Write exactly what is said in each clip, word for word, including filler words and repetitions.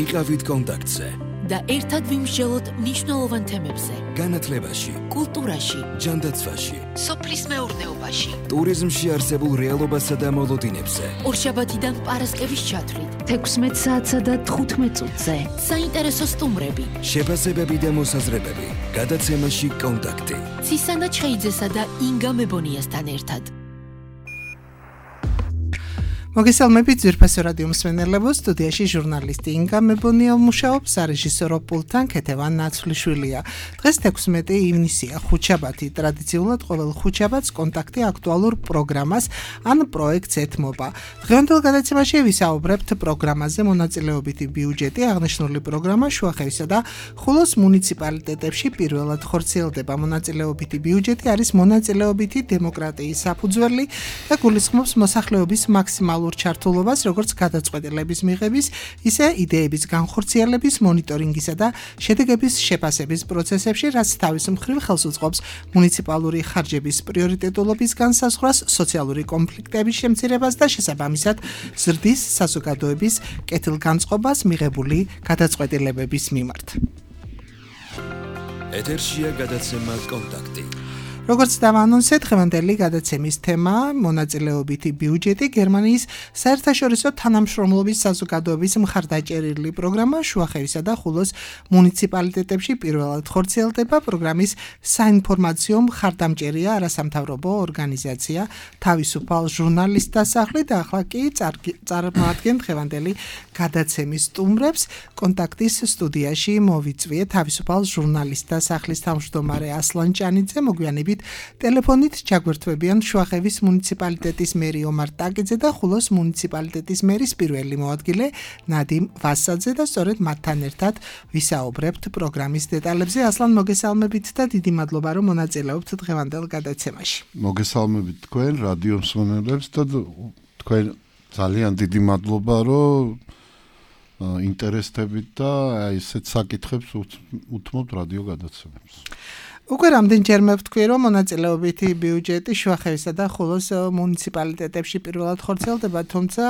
იყავით კონტაქტზე და ერთად ვიმსჯელოთ მნიშვნელოვან თემებზე. განათლებაში, კულტურაში, ჯანდაცვაში, სოფლის მეურნეობაში, ტურიზმში არსებულ რეალობასა და მოლოდინებზე. ორშაბათიდან პარასკევის ჩათვლით, თექვსმეტ საათსა და თხუთმეტ წუთზე. საინტერესო სტუმრები, შეფასებები და მოსაზრებები. გადაცემაში კონტაქტი. ცისანა ჩხეიძესა და ინგა მებონიასთან ერთად. მოგესალმებით ძვირფასო რადიო მსმენელებო, სტუდიაში ჟურნალისტი ინგა მებონია მუშაობს, სარეჟისორო პულტთან ქეთევან ნაცვლიშვილია. დღეს თექვსმეტი ივნისია, ხუთშაბათი. ტრადიციულად ყოველ ხუთშაბათს კონტაქტი აქტუალურ პროგრამას ან პროექტს ეთმობა. დღევანდელ გადაცემაში ვისაუბრებთ პროგრამაზე მონაწილეობითი ბიუჯეტი, აღნიშნული პროგრამა შუახევისა და ხულოს მუნიციპალიტეტებში პირველად ხორციელდება. მონაწილეობითი ბიუჯეტი არის მონაწილეობითი დემოკრატიის საფუძველი და გულისხმობს მოსახლეობის მაქსიმალურ ჩართულობას, როგორც გადაწყვეტილების მიღების, ისე იდეების განხორციელების, მონიტორინგისა და შედეგების შეფასების პროცესებში, რაც თავის მხრივ ხელს უწყობს მუნიციპალური ხარჯების პრიორიტეტულობის განსაზღვრას, სოციალური კონფლიქტების შემცირებას და შესაბამისად ზრდის საზოგადოების კეთილგანწყობას მიღებული გადაწყვეტილებების მიმართ. ეთერშია გადაცემა კონტაქტი. როგორც დავანონსეთ, დღევანდელი გადაცემის თემა მონაწილეობითი ბიუჯეტი, გერმანიის საერთაშორისო თანამშრომლობის საზოგადოების მხარდაჭერილი პროგრამა შუახევისა და ხულოს მუნიციპალიტეტებში პირველად ხორციელდება. პროგრამის საინფორმაციო მხარდამჭერია არასამთავრობო ორგანიზაცია თავისუფალ ჟურნალისტთა სახლი და ახლა კი წარმოადგენთ დღევანდელი გადაცემის სტუმრებს. კონტაქტის სტუდიაში მოვიწვიე თავისუფალ ჟურნალისტთა სახლის თავმჯდომარე ასლან ჭანიძე, მოგვიანებით ტელეფონით ჩაგვერთვებიან შუახევის მუნიციპალიტეტის მერი ომარ ტაკიძე და ხულოს მუნიციპალიტეტის მერის პირველი მოადგილე ნადიმ ვასაძე და სწორედ მათთან ერთად ვისაუბრებთ პროგრამის დეტალებზე. ასლან, მოგესალმებით და დიდი მადლობა, რომ მონაწილეობთ დღევანდელ გადაცემაში. მოგესალმებით თქვენ რადიო მსმენელებს და თქვენ ძალიან დიდი მადლობა, რომ ინტერესდებით და ესეთ საკითხებს უთმობთ რადიო გადაცემებს. უკვე რამდენჯერმე ვთქვი, რომ მონაწილეობითი ბიუჯეტი შუახევისა და ხულოს მუნიციპალიტეტებში პირველად ხორციელდება, თუმცა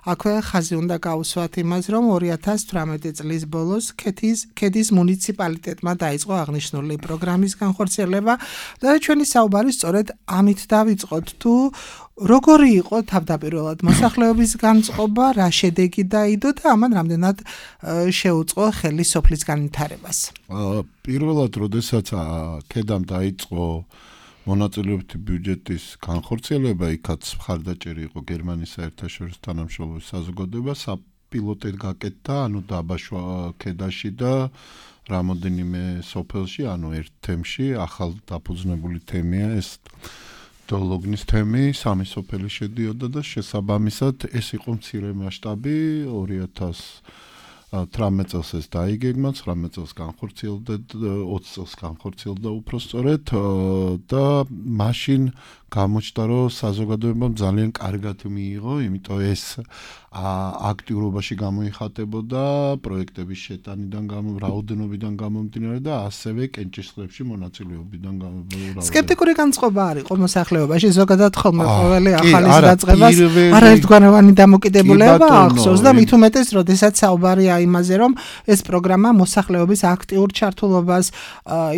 აქვე ხაზი უნდა გაუსვათ იმას, რომ ორი ათას თვრამეტი წლის ბოლოს ქეთის ქედის მუნიციპალიტეტმა დაიწყო აღნიშნული პროგრამის განხორციელება და ჩვენი საუბარი სწორედ ამით დავიწყოთ. თუ როგორი იყო თავდაპირველად მოსახლეობის განწყობა, რა შედეგი დაიდო და ამან რამდენად შეუწყო ხელი სოფლის განვითარებას? პირველად, როდესაც ქედამ დაიწყო მონაწილეობითი ბიუჯეტის განხორციელება, იქაც მხარდაჭერი იყო გერმანიის საერთაშორისო თანამშრომლობის საზოგადოება, საპილოტოდ გაკეთდა, ანუ დაბაშვა ქედაში და რამოდენიმე სოფელში, ანუ ერთ თემში, ახალ დაფუძნებული თემია ეს დოლოგნის თემი, სამი სოფელი შედიოდა და შესაბამისად ეს იყო მცირე მასშტაბი. ორი ათას თვრამეტ წელს ეს დაიგეგმა, ცხრამეტ წელს განხორციელდა, ოცი წელს განხორციელდა უფრო სწორედ და მაშინ გამოჩნდა, რომ საზოგადოებამ ძალიან კარგად მიიღო, იმიტომ ეს აქტიურობაში გამოიხატებოდა პროექტების შეტანიდან, რაოდენობიდან გამომდინარე და ასევე კენჭისყრებში მონაწილეობიდან გამომდინარე. სკეპტიკური განწყობა არ იყო მოსახლეობაში, ზოგადად ხოლმე ყოველი ახალის დაწყებას არაერთგვაროვანი დამოკიდებულება ახსოვს და მით უმეტეს, როდესაც საუბარია იმაზე, რომ ეს პროგრამა მოსახლეობის აქტიურ ჩართულობას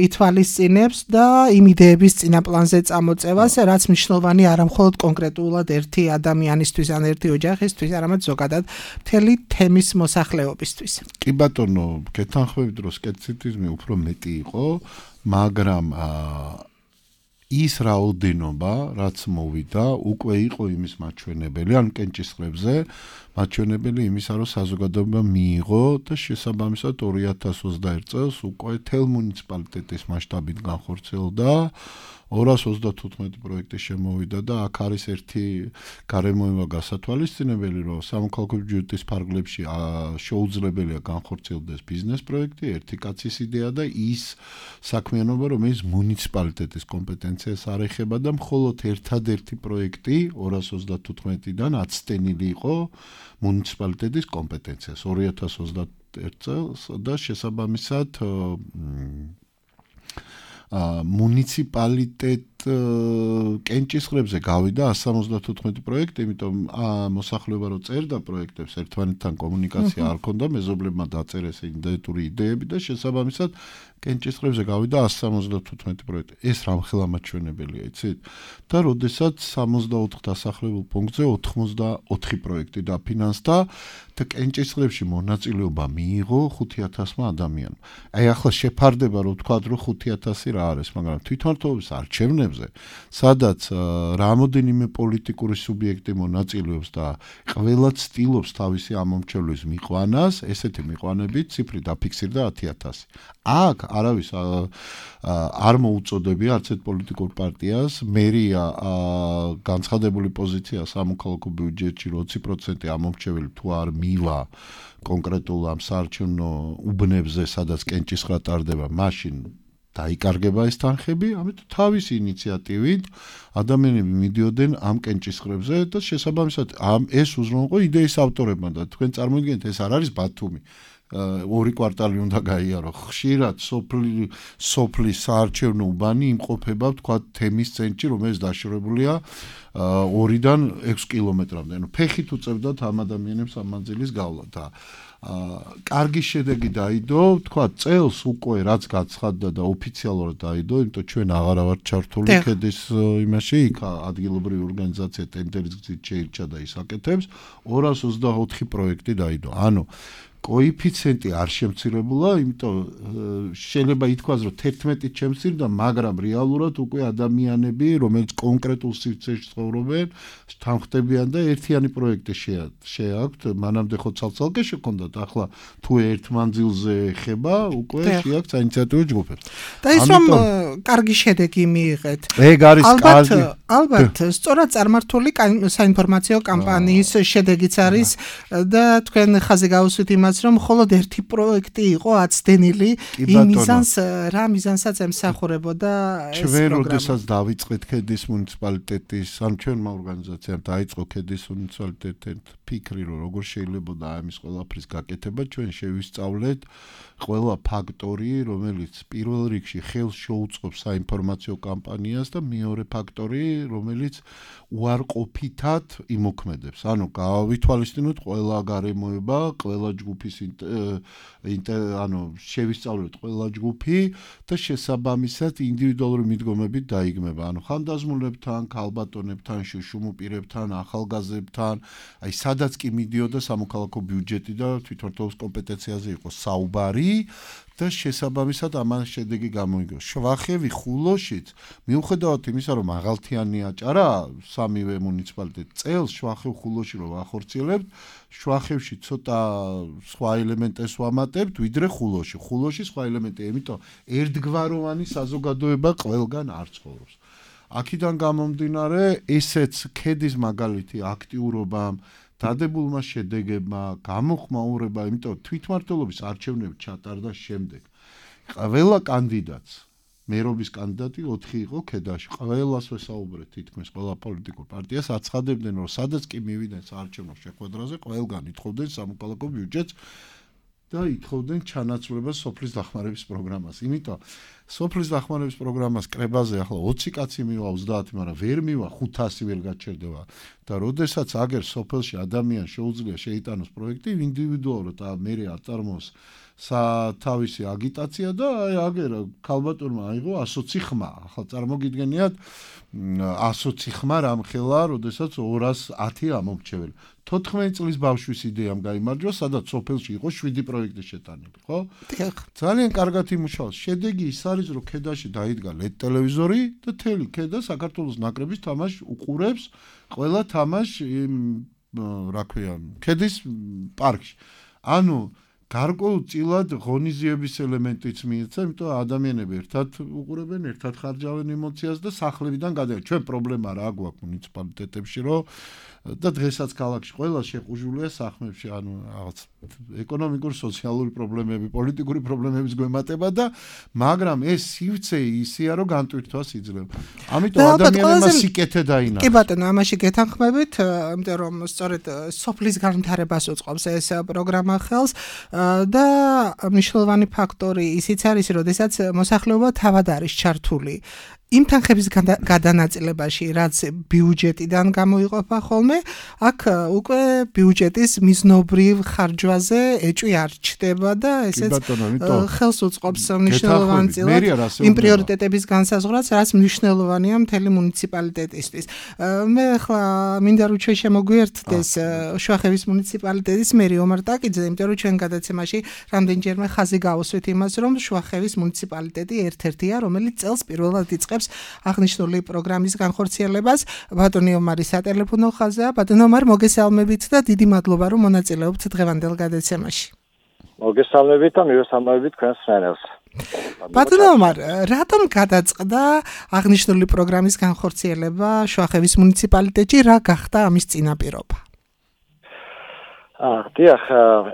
ითვალისწინებს და იმ იდეების წინაპლანზე წამოწევას, რაც მნიშვნელოვანი არა მხოლოდ კონკრეტულად ერთი ადამიანისთვის ან ერთი ოჯახისთვის, არამედ ზოგადად მთელი თემის მოსახლეობისთვის. კი ბატონო, გეთანხმებით, რომ სკეპტიციზმი უფრო მეტი იყო, მაგრამ ის რაოდენობა, რაც მოვიდა, უკვე იყო იმის მაჩვენებელი, ან კენჭისყრებზე მაჩვენებელი იმისა, რომ საზოგადოება მიიღო და შესაბამისად ორი ათას ოცდაერთ წელს უკვე თელ მუნიციპალიტეტის მასშტაბით განხორციელდა ორას ოცდათოთხმეტი პროექტი შემოვიდა და აქ არის ერთი გარემოება გასათვალისწინებელი, რომ სამოქალაქო ბიუჯეტის ფარგლებში შეუძლებელია განხორციელდეს ბიზნეს პროექტი, ერთი კაცის იდეა და ის საქმიანობა, რომელიც მუნიციპალიტეტის კომპეტენციას არ ეხება და მხოლოდ ერთადერთი პროექტი ორას ოცდათოთხმეტიდან აცდენილი იყო მუნიციპალიტეტის კომპეტენციას ორი ათას ოცდაერთ წელს და შესაბამისად მუნიციპალიტეტ კენჭისყრებზე გავიდა one seventy-five პროექტი, იმიტომ მოსახლეობა რო წერდა პროექტებს, ერთმანეთთან კომუნიკაცია არ ქონდა, მეზობლებმა დაწერეს იდენტური იდეები და შესაბამისად კენჭისყრებზე გავიდა one seventy-five პროექტი. ეს რამხელა მაჩვენებელია, იცით? და როდესაც sixty-four დასახლებულ პუნქტზე ninety-four პროექტი დაფინანსდა და კენჭისყრებში მონაწილეობა მიიღო five thousand ადამიანმა. აი ახლა შეფარდება რომ თქვა რომ five thousand რა არის, მაგრამ თვითმმართველობის არჩევნებზე, სადაც რამოდენიმე პოლიტიკური სუბიექტი მონაწილეობს და ყველა ცდილობს თავისი ამომრჩევლის მიყვანას, ესეთი მიყვანებით ციფრი დაფიქსირდა ten thousand. აქ არავის არ მოუწოდები არც ერთ პოლიტიკურ პარტიას, მერია განცხადებული პოზიცია სამოქალაქო ბიუჯეტში twenty percent ამომრჩეველი თუ არ მივა კონკრეტულ ამ საარჩევნო უბნებზე, სადაც კენჭისყრა ტარდება, მაშინ დაიკარგება ეს თანხები, ამიტომ თავისი ინიციატივით ადამიანები მიდიოდნენ ამ კენჭისყრებზე და შესაბამისად ამ ეს უზრუნველყო იდეის ავტორებმა და თქვენ წარმოიდგინეთ, ეს არ არის ბათუმი. ორი კვარტალი უნდა გაიარო. ხშირად სოფლი სოფლის საარჩევნო უბანი იმყოფება თქვა თემის ცენტრში, რომელიც დაშორებულია ორიდან ექვსი კილომეტრამდე. ანუ ფეხით უწევდათ ამ ადამიანებს ამ მანძილის გავლა და კარგი შედეგი დაიდო, თქვა წელს უკვე რაც გაცხადდა და ოფიციალურად დაიდო, იმიტომ ჩვენ აღარ ვართ ჩართული ქედის იმაში, იქ ადგილობრივი ორგანიზაცია ტენდერის გზით შეირჩა და ის აკეთებს, two hundred twenty-four პროექტი დაიდო. ანუ კოეფიციენტი არ შემცირებულა, იმიტომ შეიძლება ითქვას, რომ eleven შემცირდა, მაგრამ რეალურად უკვე ადამიანები, რომელიც კონკრეტულ სივრცეში ცხოვრობენ, თანხმდებიან და ერთიანი პროექტი შეაქვთ, მანამდე ხო ცალ-ცალკე შექონდათ, ახლა თუ ერთ მანძილზე ეხება, უკვე შეაქვთ საინიციატივო ჯგუფებს. და ის რომ კარგი შედეგი მიიღეთ. ეგ არის კარგი. ალბათ, სწორად წარმართული საინფორმაციო კამპანიის შედეგიც არის და თქვენ ხაზი გაუსვით იმას, რომ მხოლოდ ერთი პროექტი იყო აცდენილი იმ მიზანს, რა მიზანსაც ემსახურებოდა ეს პროგრამა. ჩვენ როდესაც დავიწყეთ ქედის მუნიციპალიტეტის, ან ჩვენმა ორგანიზაციამ დაიწყო ქედის მუნიციპალიტეტთან ფიქრი, რომ როგორ შეიძლება ამის ყველაფრის გაკეთება, ჩვენ შევისწავლეთ ყველა ფაქტორი, რომელიც პირველ რიგში ხელს შეუწყობს საინფორმაციო კამპანიას და მეორე ფაქტორი, რომელიც უარყოფითად იმოქმედებს. ანუ გავითვალისწინოთ ყველა გარემოება, ყველა ჯგუფის ანუ შევისწავლოთ ყველა ჯგუფი და შესაბამისად ინდივიდუალური მიდგომებით დაიგმება. ანუ ხანდაზმულებთან, ქალბატონებთან, შუშუმუპირებთან, ახალგაზრდებთან, აი სადაც კი მიდიოდა სამოქალაქო ბიუჯეტი და თვითმმართველობის კომპეტენციაზე იყო საუბარი და შესაბამისად ამან შედეგი გამოიგო. შვახევი ხულოშიც მიუხედავად იმისა, რომ მაღალთიანი აჭარა სამივე მუნიციპალიტეტი წელს შვახევ ხულოში რომ ვახორციელებთ, შვახევში ცოტა სხვა ელემენტებს ვამატებთ, ვიდრე ხულოში. ხულოში სხვა ელემენტია, იმიტომ ერთგვაროვანი საზოგადოება ყველგან არ ცხოვრობს. აქედან გამომდინარე, ესეც ქედის მაგალითი აქტიურობამ დადებულმა შედეგებმა, გამოხმაურება, იმიტომ თვითმმართველობის არჩევნები ჩატარდა შემდეგ. ყველა კანდიდატს, მერობის კანდიდატი ოთხი იყო ქედაში. ყველას ვესაუბრეთ, თითქმის ყველა პოლიტიკურ პარტიას აცხადებდნენ, რომ სადაც კი მივიდნენ საარჩევნო შეხვედრაზე, ყველგან ითხოვდნენ სამოქალაქო ბიუჯეტს და ითხოვდნენ ჩანაცვლებას სოფლის დახმარების პროგრამას. იმიტომ სოფლის დახმარების პროგრამას კრებაზე ახლა ოცი კაცი მივა, ოცდაათი, მაგრამ ვერ მივა, ხუთასი ვერ გაჩერდება. და როდესაც აგერ სოფელში ადამიანს შეუძლია შეიტანოს პროექტი, ინდივიდუალურად და მერე აწარმოოს თავისი აგიტაცია და აი აგერ ქალბატონმა აიღო one hundred twenty ხმა. ახლა წარმოგიდგენიათ one hundred twenty ხმა რამხელა, როდესაც two hundred ten ამომრჩეველი. fourteen წლის ბავშვის იდეამ გაიმარჯვა, სადაც სოფელში იყო seven პროექტი შეტანილი, ხო? ძალიან კარგად იმუშაოს. შედეგი ის არის, რომ ქედაში დაიდგა ლედ ტელევიზორი და თელი ქედა საქართველოს ნაკრების თამაშს უყურებს, ყველა თამაშს რა ქვია, ქედის პარკში. ანუ გარკვეულწილად ღონისძიების ელემენტიც მიეცა, იმიტომ ადამიანები ერთად უყურებენ, ერთად ხარჯავენ ემოციას და სახლებიდან გადაიღეს. ჩვენ პრობლემა რა გვაქვს მუნიციპალიტეტებში, რომ და დღესაც ქალაქში ყველა შეყუჟულია სახმებში, ანუ რაღაც ეკონომიკური, სოციალური პრობლემები, პოლიტიკური პრობლემების გვემატება და მაგრამ ეს სივრცე ისეა, რომ განტვირთვას იძლევა. ამიტომ ადამიანებმა სიკეთე დაინახეს. კი ბატონო, ამაში გეთანხმებით, იმიტომ რომ სწორედ სოფლის განვითარებას უწყობს ეს პროგრამა ხელს და მნიშვნელოვანი ფაქტორი ისიც არის, როდესაც მოსახლეობა თავად არის ჩართული იმ თანხების გადანაწილებაში, რაც ბიუჯეტიდან გამოიყოფა ხოლმე, აქ უკვე ბიუჯეტის მიზნობრივ ხარჯვაზე ეჭვი არ ჩდება და ესეც ხელს უწყობს მნიშვნელოვან წილად იმ პრიორიტეტების განსაზღვრას, რაც მნიშვნელოვანია მთელი მუნიციპალიტეტისთვის. მე ახლა მინდა რომ ჩვენ შემოგვიერთდეს შუახევის მუნიციპალიტეტის მერი ომარ ტაკიძე, იმიტომ რომ ჩვენ გადაცემაში რამდენჯერმე ხაზი გავუსვით იმას, რომ შუახევის მუნიციპალიტეტი ერთ-ერთია, რომელიც წელს პირველად იწყებს აღნიშნული პროგრამის განხორციელებას. ბატონი ომარი სატელეფონო ხაზია. ბატონო ომარ, მოგესალმებით და დიდი მადლობა, რომ მონაწილეობთ დღევანდელ გადაცემაში. მოგესალმებით და მივესალმებით თქვენს მსმენელს. ბატონო ომარ, რატომ გადაწყდა აღნიშნული პროგრამის განხორციელება შუახევის მუნიციპალიტეტში, რა გახდა ამის წინაპირობა? დიახ,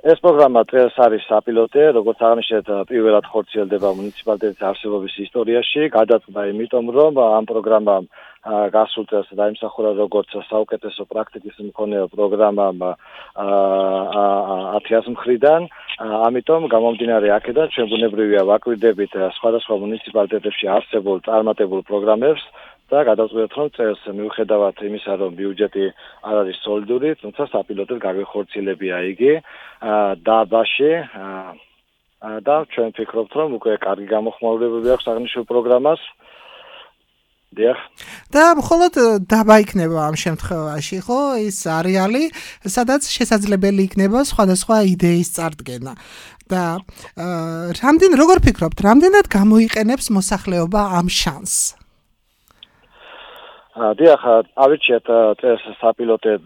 ეს პროგრამა წელს არის საპილოტე, როგორც აღნიშნეთ, პირველად ხორციელდება მუნიციპალიტეტის არსებობის ისტორიაში, გადაწყდა იმიტომ, რომ ამ პროგრამამ გასულ წელს დაიმსახურა როგორც საუკეთესო პრაქტიკის მქონე პროგრამამ ათი ათას მხრიდან, ამიტომ გამომდინარე აქედან ჩვენ ბუნებრივია ვაკვირდებით სხვადასხვა მუნიციპალიტეტებში არსებულ წარმატებულ პროგრამებს და გადავწყვეტთ, რომ წელს მიუხედავად იმისა, რომ ბიუჯეტი არ არის სოლიდური, თუმცა საპილოტოდ გაგვეხორციელებია იგი დაბაში და ჩვენ ვფიქრობთ, რომ უკვე კარგი გამოხმაურებები აქვს აღნიშნულ პროგრამას. დიახ. და მხოლოდ დაბა იქნება ამ შემთხვევაში, ხო? ის არეალი, სადაც შესაძლებელი იქნება სხვადასხვა იდეის წარდგენა. და რამდენ როგორ ფიქრობთ, რამდენად გამოიყენებს მოსახლეობა ამ შანსს? დიახ, ავირჩიეთ წელს საპილოტედ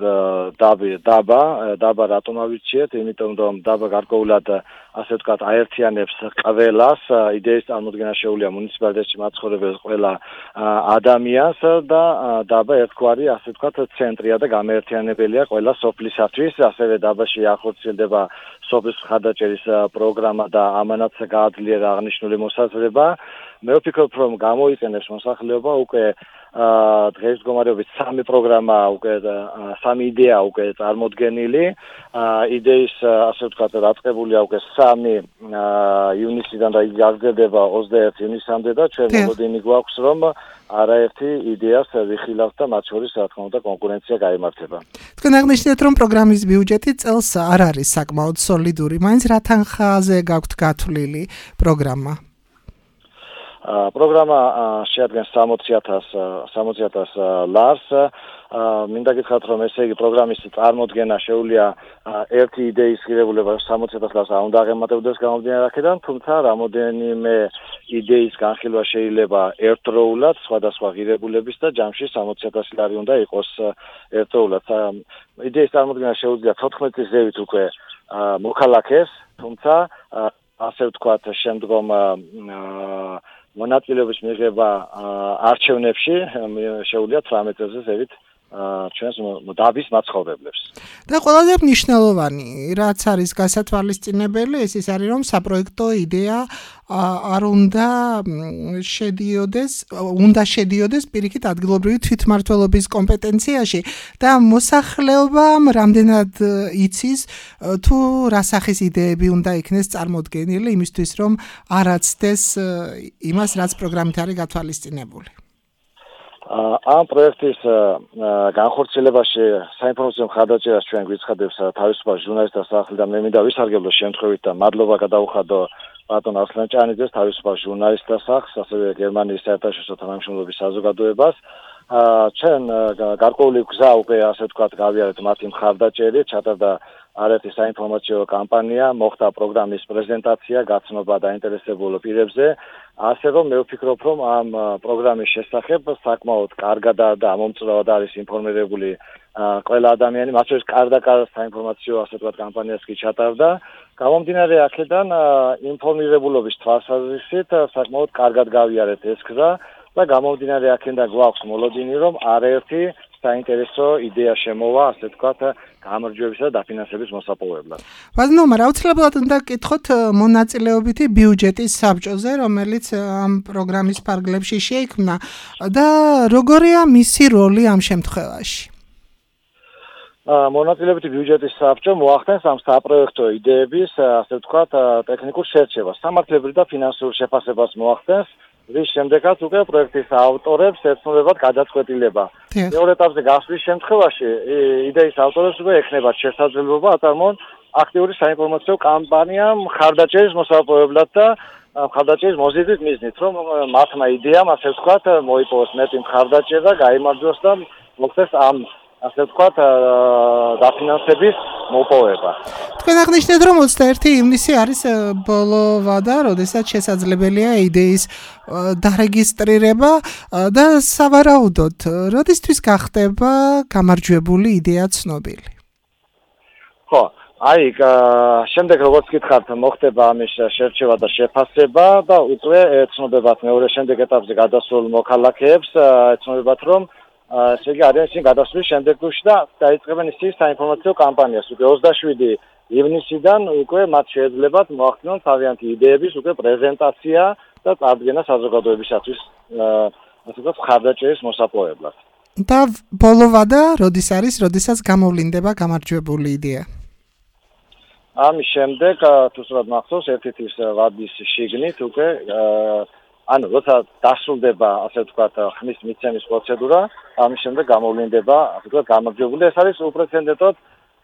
დაბა, დაბა რატომ ავირჩიეთ? იმიტომ რომ დაბა გარკვეულად ასე ვთქვათ აერთიანებს ყველას, იდეის წარმოდგენა შეუძლია მუნიციპალიტეტში მაცხოვრებელ ყველა ადამიანს და დაბა ერთგვარი ასე ვთქვათ ცენტრია და გამაერთიანებელია ყველა სოფლისათვის, ასევე დაბაში ახორციელდება სოფლის მხარდაჭერის პროგრამა და ამანაც გააძლიერა აღნიშნული მოსაზრება. მე ვფიქრობ, რომ გამოიყენებს მოსახლეობა უკვე დღეს მდგომარეობით სამი პროგრამა უკვე სამი იდეა უკვე წარმოდგენილი, იდეის ასე ვთქვათ დაწყებულია უკვე სამი ივნისიდან და იგი გაგრძელდება ოცდაერთი ივნისამდე და ჩვენ მოლოდინი გვაქვს, რომ არაერთი იდეას ვიხილავთ და მათ შორის რა თქმა უნდა კონკურენცია გაიმართება. თქვენ აღნიშნეთ, რომ პროგრამის ბიუჯეტი წელს არ არის საკმაოდ სოლიდური, მაინც რა თანხაზე გაქვთ გათვლილი პროგრამა? პროგრამა შეადგენს სამოცი ათას ლარს. მინდა გითხრათ, რომ ესე იგი პროგრამის წარმოდგენა შეუძლია ერთი იდეის ღირებულება სამოცი ათას ლარს არ უნდა აღემატებოდეს გამომდინარე აქედან, თუმცა რამოდენიმე იდეის განხილვა შეიძლება ერთდროულად სხვადასხვა ღირებულების და ჯამში სამოცი ათასი ლარი უნდა იყოს ერთდროულად. იდეის წარმოდგენა შეუძლია თოთხმეტი ზევით უკვე მოქალაქეს, თუმცა ასე ვთქვათ შემდგომ მონაწილეობის მიღება არჩევნებში შეუძლია თვრამეტი ზევით ჩვენს დაბის მაცხოვრებლებს. და ყველაზე მნიშვნელოვანი, რაც არის გასათვალისწინებელი, ეს ის არის, რომ საპროექტო იდეა არ უნდა შედიოდეს, უნდა შედიოდეს პირიქით ადგილობრივი თვითმმართველობის კომპეტენციაში და მოსახლეობამ რამდენად იცის თუ რა სახის იდეები უნდა იქნეს წარმოდგენილი იმისთვის, რომ არ აცდეს იმას, რაც პროგრამით არის გათვალისწინებული. ამ პროექტის განხორციელებაში საინფორმაციო მხარდაჭერას ჩვენ გვიცხადებს თავისუფალ ჟურნალისტთა სახლი და მე მინდა ვისარგებლო შემთხვევით და მადლობა გადაუხადო ბატონ ასლან ჭანიძეს თავისუფალ ჟურნალისტთა სახლს, ასევე გერმანიის საერთაშორისო თანამშრომლობის საზოგადოებას. ჩვენ გარკვეული გზა უკვე ასე ვთქვათ გავიარეთ მათი მხარდაჭერით, ჩატარდა არაერთი საინფორმაციო კამპანია, მოხდა პროგრამის პრეზენტაცია, გაცნობა დაინტერესებულ პირებზე. ასე რომ მე ვფიქრობ, რომ ამ პროგრამის შესახებ საკმაოდ კარგად და მომწვევად არის ინფორმირებული ყველა ადამიანი, მათ შორის კარდაკარ საინფორმაციო ასე ვთქვათ კამპანიას კი ჩატარდა. გამომდინარე აქედან ინფორმირებულობის თვალსაზრისით საკმაოდ კარგად გავიარეთ ეს გზა და გამომდინარე აქედან გვაქვს მოლოდინი, რომ არაერთი საინტერესო იდეა შემოვა, ასე ვთქვათ, გამარჯვებისა და დაფინანსების მოსაპოვებლად. ბატონო, მაგრამ აუცილებლად უნდა გკითხოთ მონაწილეობითი ბიუჯეტის საბჭოზე, რომელიც ამ პროგრამის ფარგლებში შეიქმნა და როგორია მისი როლი ამ შემთხვევაში? მონაწილეობითი ბიუჯეტის საბჭო მოახდენს ამ საპროექტო იდეების, ასე ვთქვათ, ტექნიკურ შერჩევას, სამართლებრივ და ფინანსურ შეფასებას მოახდენს რის შემდეგაც უკვე პროექტის ავტორებს ეცნობათ გადაწყვეტილება. მეორე ეტაპზე გასვლის შემთხვევაში იდეის ავტორებს უკვე ექნებათ შესაძლებლობა აწარმოონ აქტიური საინფორმაციო კამპანია მხარდაჭერის მოსაპოვებლად და მხარდაჭერის მოზიდვის მიზნით, რომ მათმა იდეამ, ასე ვთქვათ, მოიპოვოს მეტი მხარდაჭერა, გაიმარჯვოს და მოხდეს ამ ასე ვთქვათ, დაფინანსების მოპოვება. თქვენ აღნიშნეთ, რომ ოცდაერთი ივნისი არის ბოლო ვადა, როდესაც შესაძლებელია იდეის დარეგისტრირება და სავარაუდოდ, როდისთვის გახდება გამარჯვებული იდეა ცნობილი? ხო, აი, შემდეგ როგორც გითხართ, მოხდება ამის შერჩევა და შეფასება და უკვე ეცნობებათ მეორე შემდეგ ეტაპზე გადასულ მოქალაქეებს, ეცნობებათ, რომ ესე იგი არიან ისინი გადასვლის შემდეგ გუშინ და დაიწყებენ ისინი საინფორმაციო კამპანიას. უკვე ოცდაშვიდი ივნისიდან უკვე მათ შეეძლებათ მოახდინონ თავიანთი იდეების უკვე პრეზენტაცია და წარდგენა საზოგადოებისათვის, ასე ვთქვათ, მხარდაჭერის მოსაპოვებლად. და ბოლო ვადა როდის არის, როდესაც გამოვლინდება გამარჯვებული იდეა? ამის შემდეგ თუ სწორად მახსოვს, ერთი თვის ვადის შიგნით უკვე ანუ როცა დასრულდება, ასე ვთქვათ, ხმის მიცემის პროცედურა, ამის შემდეგ გამოვლინდება, ასე ვთქვათ, გამარჯვებული. ეს არის უპრეცედენტოდ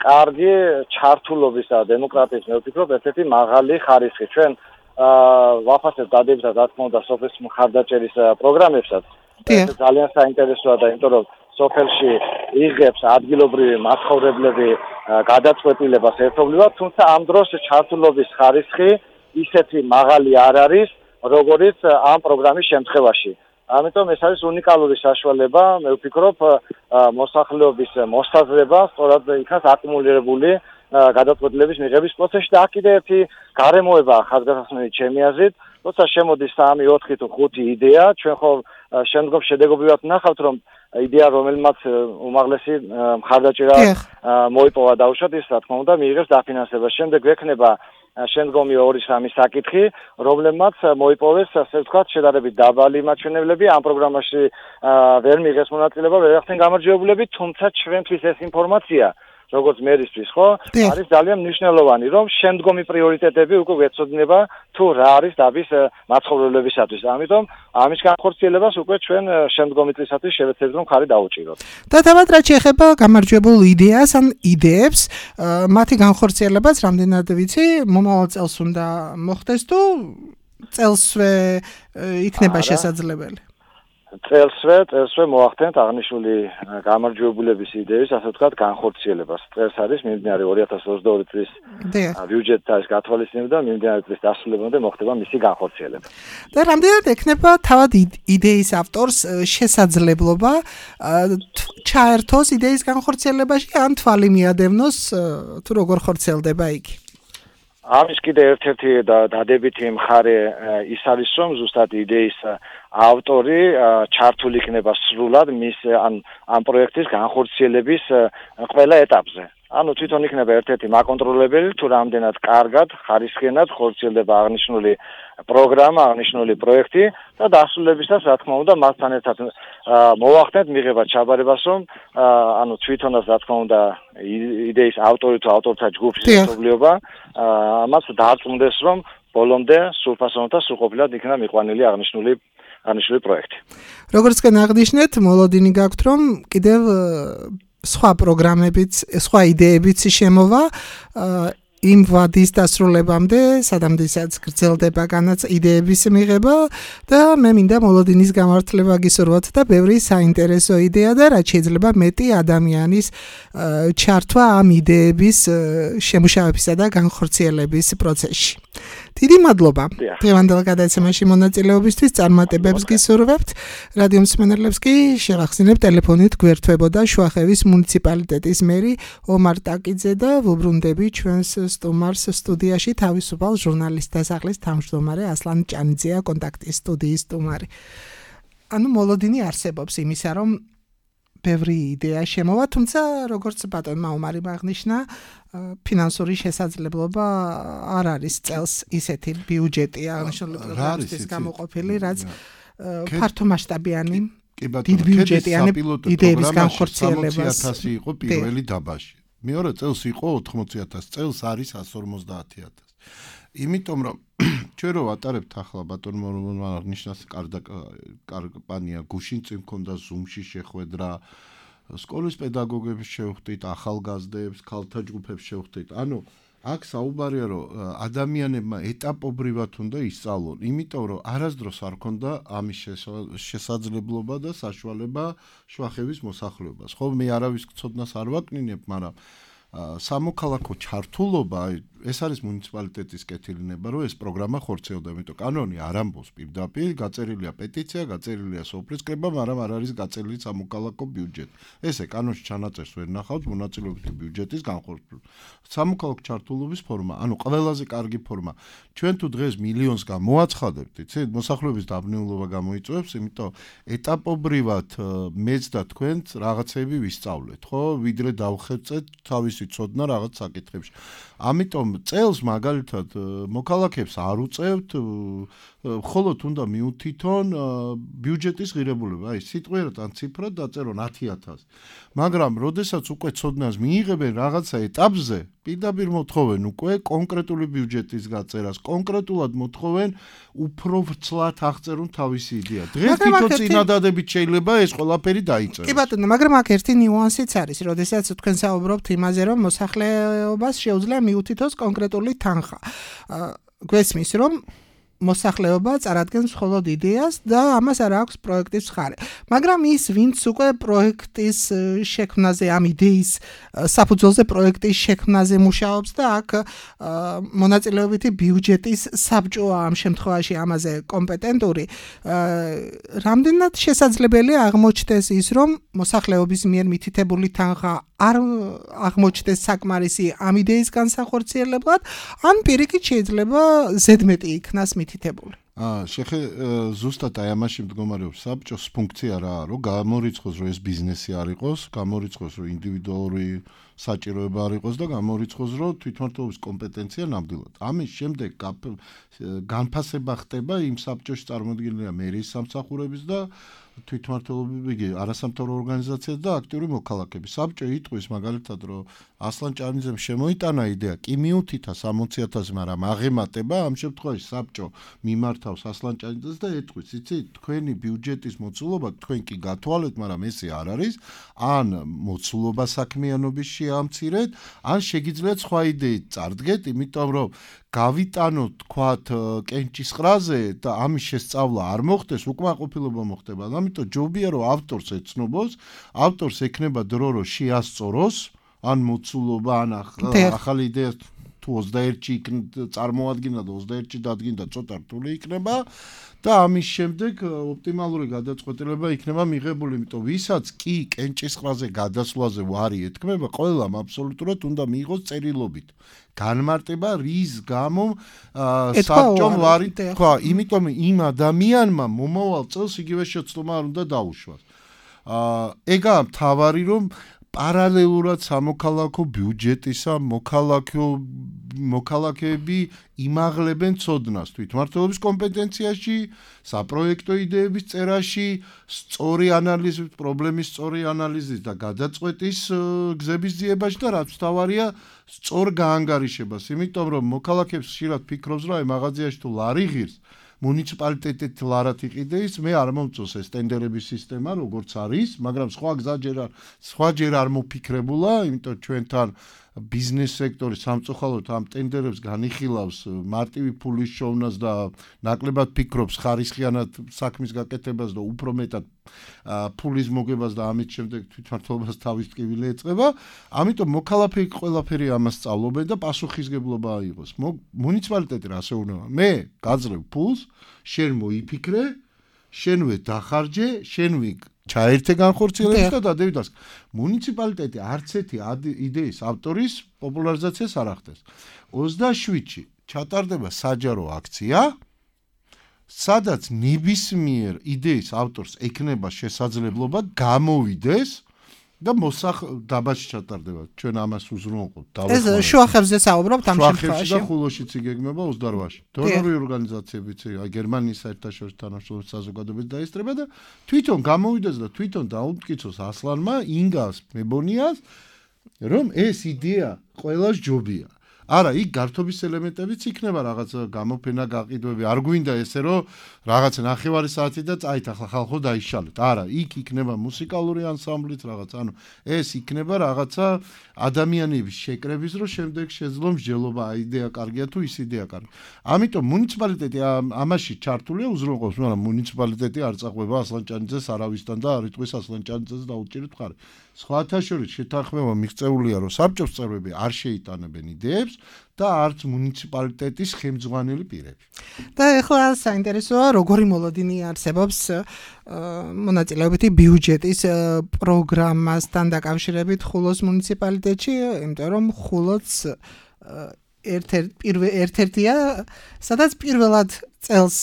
კარგი ჩართულობის და დემოკრატიის, მე ვფიქრობ, ერთ-ერთი მაღალი ხარისხი. ჩვენ ვაფასებთ დადებითად, რა თქმა უნდა, სოფლის მხარდაჭერის პროგრამებსაც. ეს ძალიან საინტერესოა და იმიტომ რომ სოფელში იღებს ადგილობრივი მაცხოვრებლები გადაწყვეტილებას ერთობლივად, თუმცა ამ დროს ჩართულობის ხარისხი ისეთი მაღალი არ არის, როგორც ამ პროგრამის შემთხვევაში. ამიტომ ეს არის უნიკალური საშუალება, მე ვფიქრობ, მოსახლეობის მოსაზრება სწორად იქნას აკუმულირებული გადაწყვეტილების მიღების პროცესში და აქ კიდე ერთი გარემოება ხაზგასმული ჩემი აზრით, როცა შემოდის სამი, ოთხი თუ ხუთი იდეა, ჩვენ ხო შემდგომ შედეგობრივად ვნახავთ, რომ იდეა, რომელმაც უმაღლესი მხარდაჭერა მოიპოვა დაუშვათ, ის რა თქმა უნდა მიიღებს დაფინანსებას. შემდეგ ექნება შემდგომი ორი სამი საკითხი, რომლებმაც მოიპოვეს, ასე ვთქვათ, შედარებით დაბალი მაჩვენებლები ამ პროგრამაში ვერ მიიღეს მონაწილეობა, ვერ ახდენ გამარჯვებულები, თუმცა ჩვენთვის ეს ინფორმაცია როგორც მერისთვის, ხო, არის ძალიან მნიშვნელოვანი, რომ შემდგომი პრიორიტეტები უკვე გვეცოდინება თუ რა არის დაბის მაცხოვრებლებისათვის. ამიტომ ამის განხორციელებას უკვე ჩვენ შემდგომი წლისათვის შევეცდებით, რომ ხარი დაუჭიროთ. და თავად რაც შეეხება გამარჯვებულ იდეას ან იდეებს, მათი განხორციელებაც რამდენად ვიცი, მომავალ წელს უნდა მოხდეს თუ წელსვე იქნება შესაძლებელი? წელსვე, წელსვე მოახდენთ აღნიშნული გამარჯვებულების იდეის, ასე ვთქვათ, განხორციელებას. წელს არის მიმდინარე ორი ათას ოცდაორი წლის ბიუჯეტთა ეს გათვალისწინება და მიმდინარე წლის დასრულებამდე მოხდება მისი განხორციელება. და რამდენად ექნება თავად იდეის ავტორს შესაძლებლობა ჩაერთოს იდეის განხორციელებაში ან თვალი მიადევნოს თუ როგორ ხორციელდება იგი? ამის კიდე ერთ-ერთი დადებითი მხარე ის არის, რომ ზუსტად იდეის ავტორი ჩართული იქნება სრულად მის ან ამ პროექტის განხორციელების ყველა ეტაპზე. ანუ თვითონ იქნება ერთ-ერთი მაკონტროლებელი, თუ რამდენად კარგად, ხარისხიანად ხორციელდება აღნიშნული პროგრამა, აღნიშნული პროექტი და დასრულებისას, რა თქმა უნდა, მასთან ერთად მოვახდენთ მიღებად ჩაბარებას, რომ ანუ თვითონაც, რა თქმა უნდა, იდეის ავტორი თუ ავტორთა ჯგუფის ერთობლიობა ამას დაარწმუნდეს, რომ ბოლომდე სრულფასოვნად და სრულყოფილად იქნება მიყვანილი აღნიშნული აღნიშნული პროექტი. როგორც თქვენ აღნიშნეთ, მოლოდინი გაქვთ, რომ კიდევ სხვა პროგრამებიც, სხვა იდეებიც შემოვა იმ ვადის დასრულებამდე, სადამდესაც გრძელდება განაც იდეების მიღება და მე მინდა მოლოდინის გამართლება გისურვოთ და ბევრი საინტერესო იდეა და რაც შეიძლება მეტი ადამიანის ჩართვა ამ იდეების შემუშავებისა და განხორციელების პროცესში. დიდი მადლობა დღევანდელ გადაცემაში მონაწილეობისთვის, წარმატებებს გისურვებთ. რადიო მსმენელებს კი შევახსენებ ტელეფონით გვერდთვებოდა შუახევის მუნიციპალიტეტის მერი ომარ ტაკიძე და ვუბრუნდები ჩვენს სტუმარს სტუდიაში თავისუფალ ჟურნალისტთა სახლის თავმჯდომარე ასლან ჭანიძეა კონტაქტის სტუდიის სტუმარი. ანუ მოლოდინი არსებობს იმისა, რომ ბევრი იდეა შემოვა, თუმცა როგორც ბატონმა ომარი აღნიშნა, ფინანსური შესაძლებლობა არ არის წელს ისეთი ბიუჯეტი აღნიშნული პროგრამისთვის გამოყოფილი, რაც ფართომასშტაბიანი დიდ ბიუჯეტიანი იდეების განხორციელებაში სამოცი ათასი იყო პირველი დაბაში. მეორე წელს იყო ოთხმოცი ათასი, წელს არის εκατს ორმოცდაათი ათასი. იმიტომ რომ ჩვენ რო ვატარებთ ახლა ბატონო მორონმა აღნიშნავს კამპანია გუშინ წინ მქონდა ზუმში შეხვედრა სკოლის პედაგოგებს შევხვდით ახალგაზრდებს ქალთა ჯგუფებს შევხვდით ანუ აქ საუბარია რომ ადამიანებმა ეტაპობრივად უნდა ისწავლონ იმიტომ რომ არასდროს არ ქონდა ამის შესაძლებლობა და საშუალება შვახების მოსახლეობას ხო მე არავის ცოდნას არ ვაკნინებ მაგრამ სამოქალაქო ჩართულობა ეს არის მუნიციპალიტეტის კეთილინება რომ ეს პროგრამა ხორციელდება იმიტომ კანონი არ ამბობს პირდაპირ გაწერილია პეტიცია გაწერილია სოფლის კრება მაგრამ არ არის გაწერილი სამოქალაქო ბიუჯეტი ესე კანონში ჩანაწერს ვერ ნახავთ მონაწილეობითი ბიუჯეტის განხორციელება სამოქალაქო ჩართულობის ფორმა ანუ ყველაზე კარგი ფორმა ჩვენ თუ დღეს მილიონს გამოაცხადებთ იცით მოსახლეობის დაბნეულობა გამოიწვევს იმიტომ ეტაპობრივად მეც და თქვენც რაღაცები ვისწავლეთ ხო ვიდრე დავხერწეთ თავისი ცოდნა რაღაც საკითხებში ამიტომ წელს მაგალითად მოქალაქეებს არ უწევთ მხოლოდ უნდა მიუთითონ ბიუჯეტის ღირებულება აი სიტყვიერად ან ციფრად დაწერონ ათი ათასი მაგრამ როდესაც უკვე ცოდნას მიიღებენ რაღაცა ეტაპზე პირდაპირ მოთხოვენ უკვე კონკრეტული ბიუჯეტის გაწერას კონკრეტულად მოთხოვენ უფრო ვრცლად აღწერონ თავისი იდეა დღეს თვითონ წინადადებით შეიძლება ეს ყველაფერი დაიწეროს კი ბატონო მაგრამ აქ ერთი ნიუანსიც არის როდესაც თქვენ საუბრობთ იმაზე რომ მოსახლეობას შეუძლია მიუთითოს კონკრეტული თანხა გვესმის რომ მოსახლეობა წარადგენს მხოლოდ იდეას და ამას არ აქვს პროექტის მხარე. მაგრამ ის ვინც უკვე პროექტის შექმნაზე ამ იდეის საფუძველზე პროექტის შექმნაზე მუშაობს და აქ მონაწილეობითი ბიუჯეტის საბჭოა ამ შემთხვევაში ამაზე კომპეტენტური რამდენად შესაძლებელია აღმოჩნდეს ის რომ მოსახლეობის მიერ მითითებული თანხა არ აღმოჩნდეს საკმარისი ამ იდეის განსახორციელებლად ან პირიქით შეიძლება ზედმეტი იქნას მითითებული. აა შეხე ზუსტად აი ამაში მდგომარეობს საბჭოს ფუნქცია რაა რომ გამორიცხოს რომ ეს ბიზნესი არ იყოს, გამორიცხოს რომ ინდივიდუალური საჭიროება არ იყოს და გამორიცხოს რომ თვითმმართველობის კომპეტენცია ნამდვილად. ამის შემდეგ განფასება ხდება იმ საბჭოში წარმოდგენილია მერის სამსახურების და თვითმმართველობები არასამთავრობო ორგანიზაციები და აქტიური მოქალაქეები. საბჭო იტყვის მაგალითად რომ ასლან ჭარნიძემ შემოიტანა იდეა, კი მიუთითა სამოცი ათასი, მაგრამ აღემატება ამ შემთხვევაში საბჭო მიმართავს ასლან ჭარნიძეს და ეტყვის, იცით, თქვენი ბიუჯეტის მოცულობა თქვენ კი გათვალეთ, მაგრამ ესე არ არის, ან მოცულობა საქმიანობის შეამცირეთ, ან შეგიძლიათ სხვა იდეით წარდგეთ, იმიტომ რომ გავიტანოთ თქვათ კენჭისყრაზე და ამის შესწავლა არ მოხდეს, უკმაყოფილება მოხდება. ამიტომ ჯობია რომ ავტორს ეცნობოს, ავტორს ექნება დრო რომ შეასწოროს, ან მოცულობა, ან ახალი იდეა თუ ოცდაერთში წარმოადგინა და ოცდაერთში დადგინდა ცოტა რთული იქნება და ამის შემდეგ ოპტიმალური გადაწყვეტილება იქნება მიღებული, იმიტომ ვისაც კი კენჭისყრაზე გადასვლაზე ვარი ეთქმება, ყველამ აბსოლუტურად უნდა მიიღოს წერილობით. განმარტება რის გამო საბჭომ ვარი თქვა, იმიტომ იმ ადამიანმა მომავალ წელს იგივე შეცდომა არ უნდა დაუშვას. აა ეგაა მთავარი რომ პარალელურად სამოქალაქო ბიუჯეტისა მოქალაქო მოქალაქეები იმაღლებენ ცოდნას თვითმმართველობის კომპეტენციაში, საპროექტო იდეების წერაში, სწორი ანალიზის, პრობლემის სწორი ანალიზის და გადაწყვეტის გზების ძიებაში და რაც მთავარია, სწორ გაანგარიშებას, იმიტომ რომ მოქალაქეებს ხშირად ფიქრობს, რომ აი მაღაზიაში თუ ლარი ღირს მუნიციპალიტეტით ლარად იყიდეს, მე არ მომწონს ეს ტენდერების სისტემა, როგორც არის, მაგრამ სხვა გზა ჯერ არ სხვა ჯერ არ მოფიქრებულა, იმიტომ ჩვენთან ბიზნეს სექტორი სამწუხაროდ ამ ტენდერებს განიხილავს მარტივი ფულის შოვნას და ნაკლებად ფიქრობს ხარისხიანად საქმის გაკეთებას და უფრო მეტად ფულის მოგებას და ამით შემდეგ თვითმმართველობას თავის ტკივილი ეწყება. ამიტომ მოქალაქეები ყველაფერი ამას სწავლობენ და პასუხისგებლობა აიღოს. მუნიციპალიტეტი რა შეუნება? მე გაძლევ ფულს, შენ მოიფიქრე, შენვე დახარჯე, შენვე ჩაერთე განხორციელებას და დადევიდას. მუნიციპალიტეტი არც ერთი იდეის ავტორის პოპულარიზაციას არ ახდენს. ოცდაშვიდში ჩატარდება საჯარო აქცია, სადაც ნებისმიერ იდეის ავტორს ექნება შესაძლებლობა გამოვიდეს და მოსახ დაბაში ჩატარდება. ჩვენ ამას უზრუნველყოფთ. ეს შუახებზე საუბრობთ ამ შემთხვევაში. და ხულოშიც იგეგმება ოცდაოთხში. დონორი ორგანიზაციებიც, აი გერმანიის საერთაშორისო თანამშრომლობის საზოგადოებაც დაესწრება და თვითონ გამოვიდეს და თვითონ დაუმტკიცოს ასლანმა, ინგას, მებონიას, რომ ეს იდეა ყველას ჯობია. არა, იქ გართობის ელემენტებიც იქნება რაღაც გამოფენა, გაყიდვები. არ გვინდა ესე რომ რაღაც ნახევარი საათი და წაით ახლა ხალხო დაიშალეთ. არა, იქ იქნება მუსიკალური ანსამბლიც რაღაც. ანუ ეს იქნება რაღაცა ადამიანების შეკრების, რომ შემდეგ შეძლო მსჯელობა, იდეა კარგია თუ ის იდეა კარგია. ამიტომ მუნიციპალიტეტი ამაში ჩართულია უზრუნველყოფს, მაგრამ მუნიციპალიტეტი არ წაყვება ასლანჭანიძეს არავისთან და არ იტყვის ასლანჭანიძეს დაუჭირეთ მხარი. სხვათა შორის შეთანხმება მიღწეულია, რომ საბჭოს წევრები არ შეიტანებენ იდეებს და არც მუნიციპალიტეტის ხელმძღვანელი პირები. და ეხლა საინტერესოა, როგორი მოლოდინი არსებობს მონაწილეობითი ბიუჯეტის პროგრამასთან დაკავშირებით ხულოს მუნიციპალიტეტში, იმიტომ რომ ხულოც ერთ-ერთია, სადაც პირველად წელს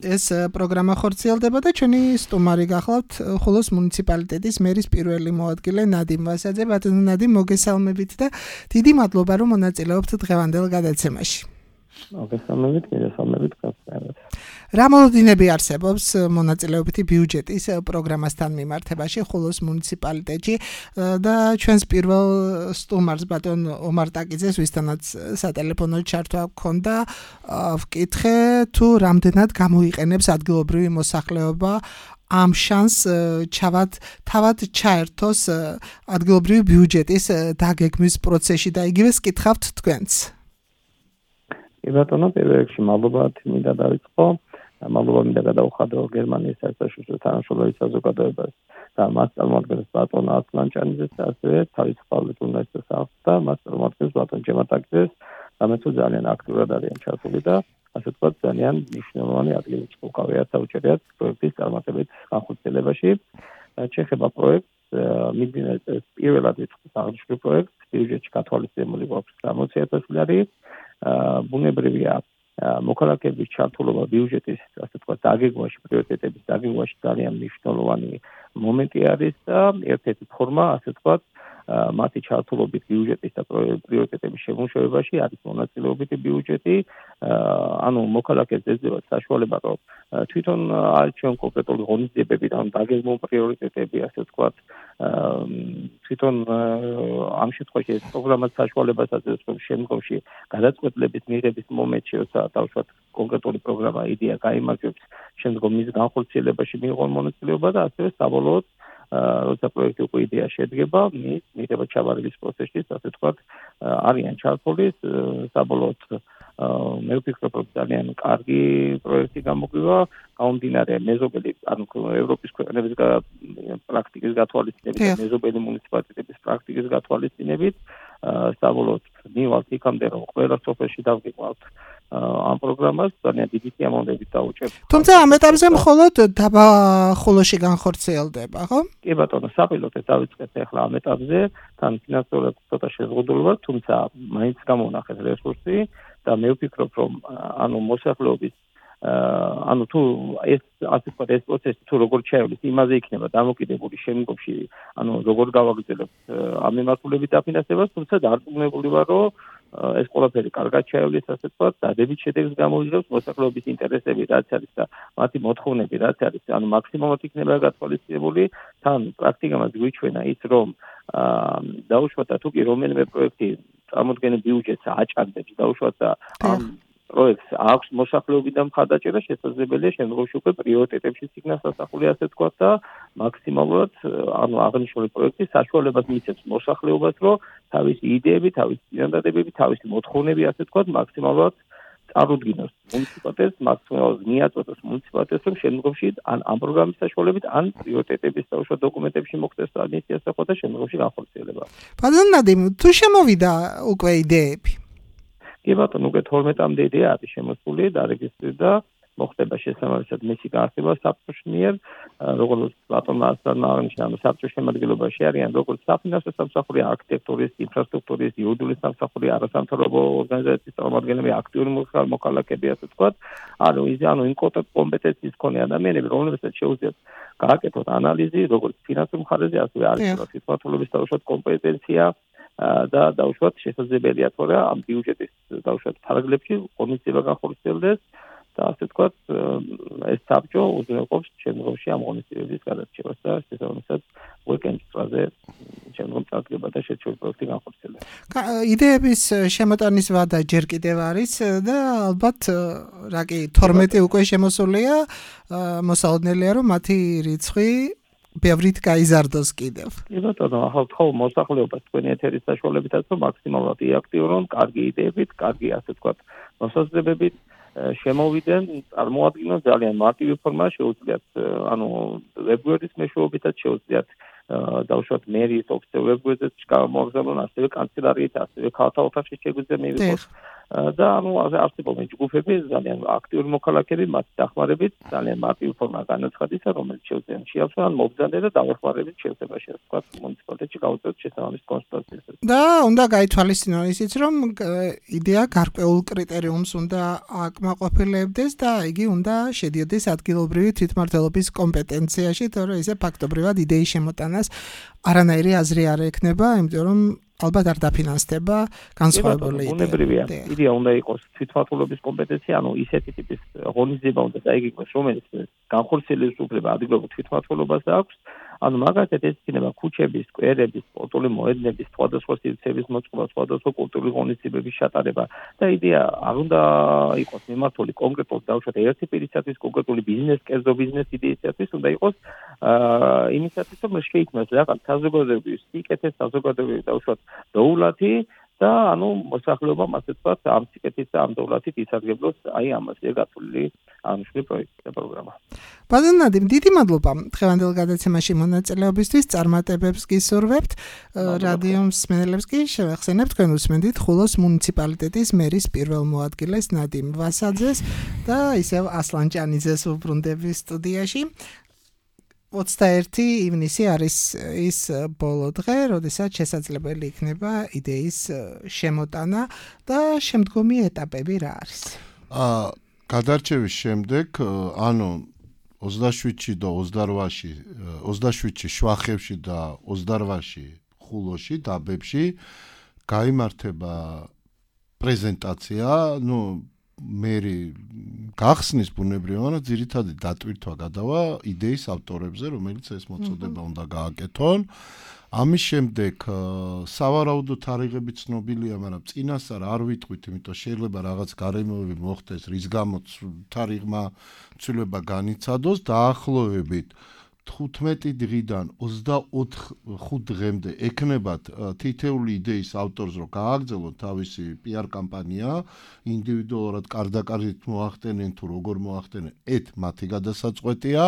ეს პროგრამა ხორციელდება და ჩვენი სტუმარი გახლავთ ხულოს მუნიციპალიტეტის მერის პირველი მოადგილე ნადიმ ვასაძე. ბატონო ნადიმ, მოგესალმებით და დიდი მადლობა რომ მონაწილეობთ დღევანდელ გადაცემაში. მოგესალმებით, მოგესალმებით გასწავლეთ. რა მოლოდინები არსებობს მონაწილეობითი ბიუჯეტის პროგრამასთან მიმართებაში ხულოს მუნიციპალიტეტში და ჩვენს პირველ სტუმარს ბატონ ომარ ტაკიძეს, ვისთანაც სატელეფონო ჩართვა გქონდა, ვკითხე თუ რამდენად გამოიყენებს ადგილობრივი მოსახლეობა ამ შანს ჩავად თავად ჩაერთოს ადგილობრივი ბიუჯეტის დაგეგმვის პროცესში და იგივე skitxavt თქვენც. კი ბატონო, პირველ რიგში მადლობა მინდა დავიწყო. მადლობა მინდა გადავხადო გერმანიის საერთაშორისო თანამშრომლობის საზოგადოებას და მას წარმოადგენს ბატონ ასლანჭანიძეს, ასევე თავისუფალ უნივერსიტეტს აქვს და მას წარმოადგენს ბატონ ჯემატაკიძეს, რომელიც ძალიან აქტიურად არიან ჩართული და ასე ვთქვათ, ძალიან მნიშვნელოვანი ადგილი უკავიათ საუჭერიათ პროექტის წარმატებით განხორციელებაში. ჩეხება პროექტს მიძინეს პირველად იწყოს აღნიშნულ პროექტს, ბიუჯეტში გათვალისწინებული გვაქვს სამოცი ათასი ლარი. ბუნებრივია მოქალაქეების ჩართულობა ბიუჯეტის ასე ვთქვათ დაგეგმვაში, პრიორიტეტების დაგეგმვაში ძალიან მნიშვნელოვანი მომენტი არის და ერთ-ერთი ფორმა ასე ვთქვათ მათი ჩართულობით ბიუჯეტის და პრიორიტეტების შემუშავებაში არის მონაწილეობითი ბიუჯეტი. ანუ მოქალაქეს ეძება საშუალება, რომ თვითონ არჩევენ კონკრეტული ღონისძიებები და დაგეგმო პრიორიტეტები ასე ვთქვათ თვითონ ამ შემთხვევაში ეს პროგრამაც საშუალებას აძლევს, რომ შემდგომში გადაწყვეტილების მიღების მომენტში, როცა დავუშვათ კონკრეტული პროგრამა იდეა გაიმარჯვებს, შემდგომ მის განხორციელებაში მიიღონ მონაწილეობა და ასევე საბოლოოდ როცა პროექტი უკვე იდეა შედგება, მის მიღება ჩაბარების პროცესში, ასე ვთქვათ, არიან ჩართული საბოლოოდ მე ვფიქრობ, რომ ძალიან კარგი პროექტი გამოგვივა, გამომდინარე მეზობელი, ანუ ევროპის ქვეყნების პრაქტიკის გათვალისწინებით და მეზობელი მუნიციპალიტეტების პრაქტიკის გათვალისწინებით, საბოლოოდ მივალთ იქამდე, რომ ყველა სოფელში დავგიყვავთ ამ პროგრამას, ძალიან დიდი სიამოვნებით დავუჭერთ. თუმცა ამ ეტაპზე მხოლოდ დაბა ხულოში განხორციელდება, ხო? კი ბატონო, საპილოტე დავიწყეთ ახლა ამ ეტაპზე, თან ფინანსურად ცოტა შეზღუდულობა, თუმცა მაინც გამოვნახეთ რესურსი და მე ვფიქრობ, რომ ანუ მოსახლეობის ანუ თუ ეს ასე ვთქვათ ეს პროცესი თუ როგორ ჩაივლის, იმაზე იქნება დამოკიდებული შემდგომში, ანუ როგორ გავაგრძელებთ ამ მიმართულებით დაფინანსებას, თუმცა დარწმუნებული ვარ, რომ ეს ყველაფერი კარგად ჩაივლის, ასე ვთქვათ, დადებით შედეგს გამოიძრებს, მოსახლეობის ინტერესები რაც არის და მათი მოთხოვნები რაც არის, ანუ მაქსიმალურად იქნება გათვალისწინებული, თან პრაქტიკამაც გვიჩვენა ის, რომ დაუშვათ და თუ კი რომელიმე პროექტი წარმოდგენილ ბიუჯეტს აჭარბებს, დაუშვათ და ამ პროექტს აქვს მოსახლეობიდან მხარდაჭერა, შესაძლებელია შემდგომში უკვე პრიორიტეტებში იქნას ასახული, ასე ვთქვათ და მაქსიმალურად ანუ აღნიშნული პროექტი საშუალებას მისცემს მოსახლეობას, რომ თავისი იდეები, თავისი წინადადებები, თავისი მოთხოვნები, ასე ვთქვათ, მაქსიმალურად წარუდგინოს მუნიციპალიტეტს, მაქსიმალურად მიაწოდოს მუნიციპალიტეტს, რომ შემდგომში ან ამ პროგრამის საშუალებით, ან პრიორიტეტების საშუალო დოკუმენტებში მოხდეს ამის ასახვა და შემდგომში განხორციელება. ბატონ ნადიმ, თუ შემოვიდა უკვე იდეები? კი ბატონო, უკვე თორმეტამდე იდეა არის შემოსული, დარეგისტრირდა, მოხდება შესაბამისად მისი განხილვა საბჭოს მიერ, როგორც ბატონმა ასლანმა აღნიშნა, საბჭოს შემადგენლობაში არიან როგორც საფინანსო სამსახური, არქიტექტურის, ინფრასტრუქტურის, იურიდიული სამსახური, არასამთავრობო ორგანიზაციის წარმომადგენლები, აქტიური მოქალაქეები, ასე ვთქვათ, ანუ ის ანუ კომპეტენციის მქონე ადამიანები, რომლებსაც შეუძლიათ გააკეთოთ ანალიზი, როგორც ფინანსურ მხარეზე, ასევე არქიტექტურის სიტუაციების დაუშვათ კომპეტენცია და დაუშვათ შესაძლებელია თორე ამ ბიუჯეტის დაუშვათ ფარგლებში ღონისძიება განხორციელდეს და ასე ვთქვათ, ეს საბჭო უზრუნველყოფს შემდგომში ამ ღონისძიებების გადარჩევას და შესაბამისად უეკენდზე შემდგომ წარდგება და შეჩვეულ პროექტი განხორციელება. იდეების შემოტანის ვადა ჯერ კიდევ არის და ალბათ რა კი თორმეტი უკვე შემოსულია, მოსალოდნელია რომ მათი რიცხვი ბევრით გაიზარდოს კიდევ. კი ბატონო, ახლა ვთხოვ მოსახლეობას თქვენი ეთერის საშუალებითაც რომ მაქსიმალურად იაქტიურონ, კარგი იდეებით, კარგი ასე ვთქვათ, მოსაზრებებით შემოვიდნენ, წარმოადგინონ ძალიან მარტივი ფორმა, შეუძლიათ ანუ ვებგვერდის მეშვეობითაც შეუძლიათ დავუშვათ მერიის ოფიციალურ ვებგვერდზეც გამოგზავნონ, ასევე კანცელარიით, ასევე ქალთა ოთახში შეგვიძლია მივიღოთ და ანუ არსებობენ ჯგუფები ძალიან აქტიური მოქალაქეები, მათი დახმარებით ძალიან მარტივი ფორმა განაცხადისა, რომელიც შეუძლია შეავსვან მობრძანე და დავეხმარებით შეიძლება შეასკვათ მუნიციპალიტეტში გავუწევთ შესაბამის კონსულტაციას. და უნდა გაითვალისწინონ ისიც, რომ იდეა გარკვეულ კრიტერიუმს უნდა აკმაყოფილებდეს და იგი უნდა შედიოდეს ადგილობრივი თვითმმართველობის კომპეტენციაში, თორე ისე ფაქტობრივად იდეის შემოტანას არანაირი აზრი არ ექნება, იმიტომ რომ ალბათ არ დაფინანსდება განსხვავებული იდეა. უნებრივია. იდეა უნდა იყოს თვითმმართველობის კომპეტენცია, ანუ ისეთი ტიპის ღონისძიება უნდა დაიგეგმოს, რომელიც განხორციელების უფლება ადგილობრივ თვითმმართველობას აქვს. ანუ მაგალითად ეს იქნება ქუჩების, სკვერების, სპორტული მოედნების, სხვადასხვა სივრცეების მოწყობა, სხვადასხვა კულტურული ღონისძიებების ჩატარება და იდეა არ უნდა იყოს მიმართული კონკრეტულად დავუშვათ ერთი პირისათვის, კონკრეტული ბიზნეს, კერძო ბიზნეს იდეისათვის, უნდა იყოს აა იმისათვის, რომ შეიქმნას რაღაც საზოგადოებრივი სიკეთე, საზოგადოებრივი დავუშვათ დოულათი და ანუ მოსახლეობამ ასე ვთქვათ ამ სიკეთის და ამ დოულათით ისარგებლოს აი ამაზე გათვლილი აღნიშნული პროექტი და პროგრამა. ბატონ ნადიმ, დიდი მადლობა დღევანდელ გადაცემაში მონაწილეობისთვის, წარმატებებს გისურვებთ. რადიო მსმენელებს კი შევახსენებთ, თქვენ უსმენთ ხულოს მუნიციპალიტეტის მერის პირველ მოადგილეს ნადიმ ვასაძეს და ისევ ასლან ჭანიძეს უბრუნდები სტუდიაში. ოცდაერთი ივნისი არის ის ბოლო დღე, როდესაც შესაძლებელი იქნება იდეის შემოტანა და შემდგომი ეტაპები რა არის? აა გადარჩევის შემდეგ, ანუ ოცდაშვიდში და ოცდაოთხში, ოცდაშვიდში შვახებში და ოცდაოთხში ხულოში, დაბებში გაიმართება პრეზენტაცია, ნუ მერი გახსნის ბუნებრივია, ძირითადი დატვირთვა გადავა იდეის ავტორებზე, რომელიც ეს მოწოდება უნდა გააკეთონ. ამის შემდეგ სავარაუდოდ თარიღები ცნობილია, მაგრამ წინასწარ არ ვიტყვით, იმიტომ შეიძლება რაღაც გარემოები მოხდეს, რის გამოც თარიღმა ცვლილება განიცადოს, დაახლოებით თხუთმეტი დღიდან ოცდაოთხ დღემდე ექნებათ თითეული იდეის ავტორს, რომ გააგრძელოთ თავისი პიარ კამპანია, ინდივიდუალურად კარდაკარით მოახდენენ თუ როგორ მოახდენენ, ეთ მათი გადასაწყვეტია.